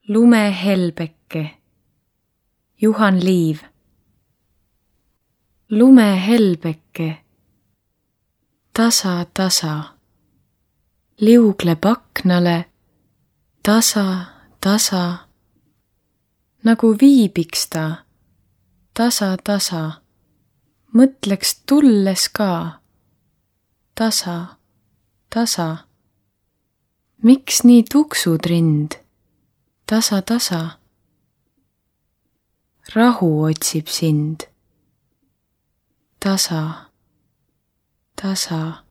Lumehelbeke, Juhan Liiv. Lumehelbeke, tasa, tasa, liugleb aknale, tasa, tasa, nagu viibiks ta, tasa, tasa, mõtleks tulles ka, tasa, tasa. Miks nii tuksud rind, tasa, tasa? Rahu otsib sind, tasa, tasa.